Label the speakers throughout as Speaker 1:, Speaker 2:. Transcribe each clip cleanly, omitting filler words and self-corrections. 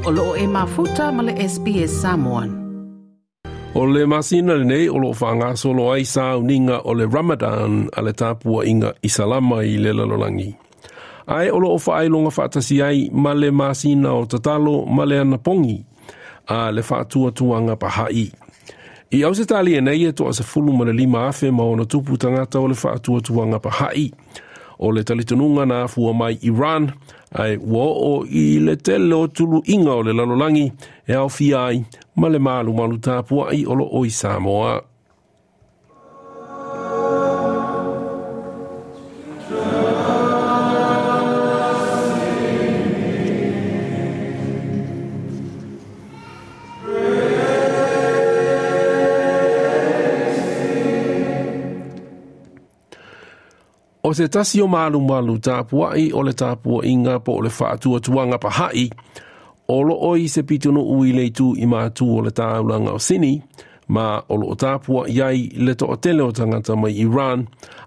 Speaker 1: O loo e mafuta ma le SBS Samoan.
Speaker 2: O le masina lenei o loo faagasolo ai sauniga o le Ramadan a le tapuaiga Isalama i le lalolagi. Ae o loo faailoga faatasi ai ma le masina o tatalo ma le anapogi a le faatuatuaga Baha'i. I Ausetalia nei e toa 15,000+ tagata o le faatuatuaga Baha'i. O le talitonuga na afua mai Iran, ae ua oo i le tele o tuluiga o le lalolagi e aofia ai ma le malumalu tapuai o loo i Samoa. O se tasi o malumalu tapuai o le tapuaiga po o le faatuatuaga Baha'i, o loo i se pitonuu i le itu i matu o le taulaga o Sini, ma o loo tapuai ai le toatele o tagata mai Iran,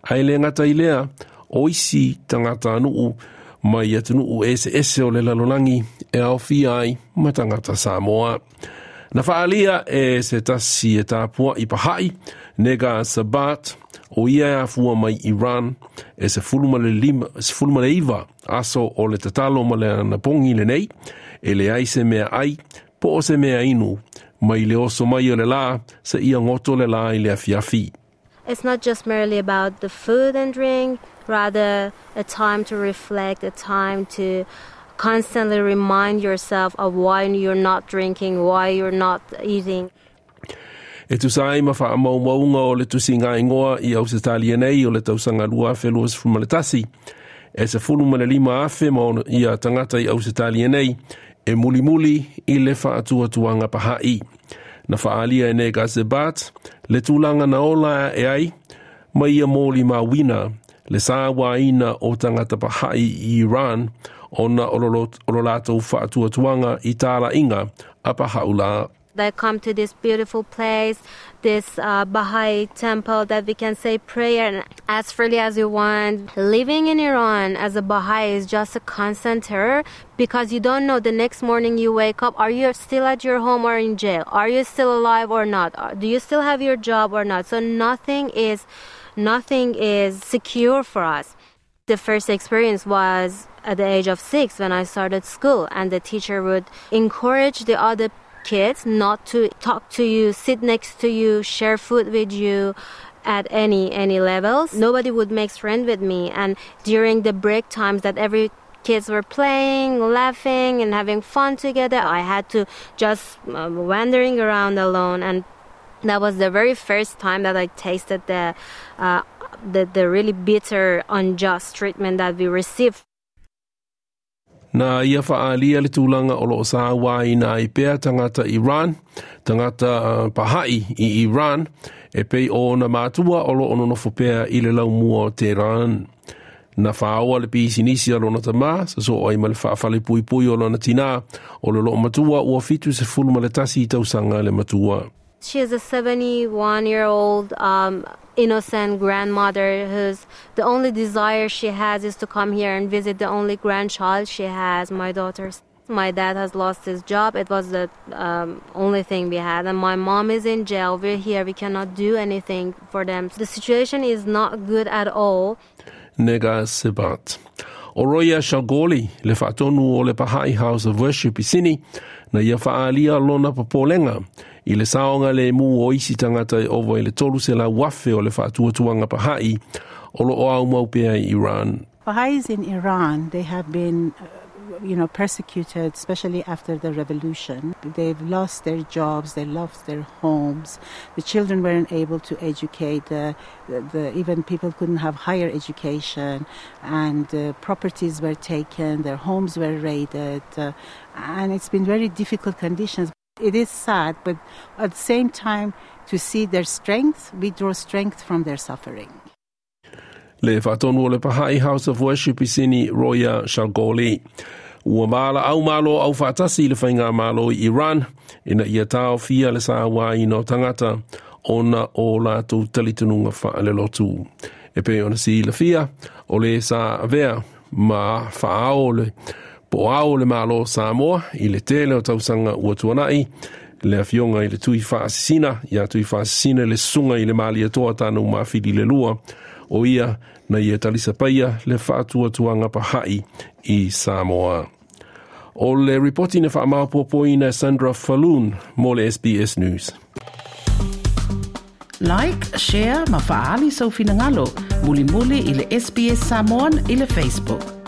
Speaker 2: ae le gata i lea o isi tagata nuu mai atunuu eseese o le lalolagi e aofia ai ma tagata Samoa. Na faalia e se tasi e tapuai Baha'i, Nega Sabat, o ia e afua mai Iran, e 19 aso o le tatalo ma le anapogi lenei, e leai se mea ai, po o se mea inu, mai le oso mai o le la, se ia goto le la i le afiafi.
Speaker 3: It's not just merely about the food and drink, rather a time to reflect, a time to constantly remind yourself of why you're not drinking, why you're not eating.
Speaker 2: E tusa ai ma faamaumauga o le tusiga igoa i Ausetalia nei o le tausaga 2021, e 15,000 ma ona ia tagata i Ausetalia nei e mulimuli i le faatuatuaga Baha'i. Na faalia e Nega Sebat le tulaga na ola e ai ma ia moli mauina le sauaina o tagata Baha'i i Iran ona o lo latou faatuatuaga i talaiga a Baha'u'llah.
Speaker 3: They come to this beautiful place, this Baha'i temple that we can say prayer and as freely as you want. Living in Iran as a Baha'i is just a constant terror because you don't know the next morning you wake up, are you still at your home or in jail? Are you still alive or not? Do you still have your job or not? So nothing is secure for us. The first experience was at the age of 6 when I started school, and the teacher would encourage the other kids not to talk to you, sit next to you, share food with you at any levels. Nobody would make friends with me, and during the break times that every kids were playing, laughing and having fun together, I had to just wandering around alone. And that was the very first time that I tasted the really bitter, unjust treatment that we received.
Speaker 2: Na ia faalia le tulaga o loo sauaina ai pea tagata Iran, tagata Baha'i i Iran, e pei o na matua o loo nonofo pea i le laumua o Tehran. Na whaoa le pisinisi a lona tama, sa so ai ma le faafale puipui o lona tina, o le loo matua ua 71 tausaga le matua.
Speaker 3: She is a 71-year-old innocent grandmother whose the only desire she has is to come here and visit the only grandchild she has, my daughters. My dad has lost his job. It was the only thing we had. And my mom is in jail. We're here. We cannot do anything for them. The situation is not good at all.
Speaker 2: Nega Sebat. O Roya Shagoli, le faatonu o le Baha'i House of Worship i Sini, na ia faalia lona papolenga i le saoga le mu o isi tagata e ova i le 300,000 o le faatuatuaga Baha'i o loo au mau pea i Iran.
Speaker 4: Baha'is in Iran, they have been persecuted, especially after the revolution. They've lost their jobs, they lost their homes. The children weren't able to educate. Even people couldn't have higher education, and properties were taken, their homes were raided, and it's been very difficult conditions. It is sad, but at the same time, to see their strength, we draw strength from their suffering.
Speaker 2: Le faatonu o le Baha'i House of Worship i Sini, Roya Shalgoli. Ua maala au malo au faatasi le whainga malo i Iran, ina ia tao fia le sauaina o tagata ona o latou talitonuga faalelotu. E pei ona silafia, o le sa avea ma faao le Po o Ao o le Malo o Samoa i le tele o tausaga ua tuanai, le Afioga i le Tui Faasisina, ia Tui Faasisina le Susuga i le Malietoa Tanumafili le Lua, o ia na ia talisapaia le faatuatuaga pahaʻi i Samoa. O le ripoti na faamaopoopoina e Sandra Falloon mo le SBS News.
Speaker 1: Like, share ma faaali sou finagalo. Mulimuli i le SBS Samoan i le Facebook.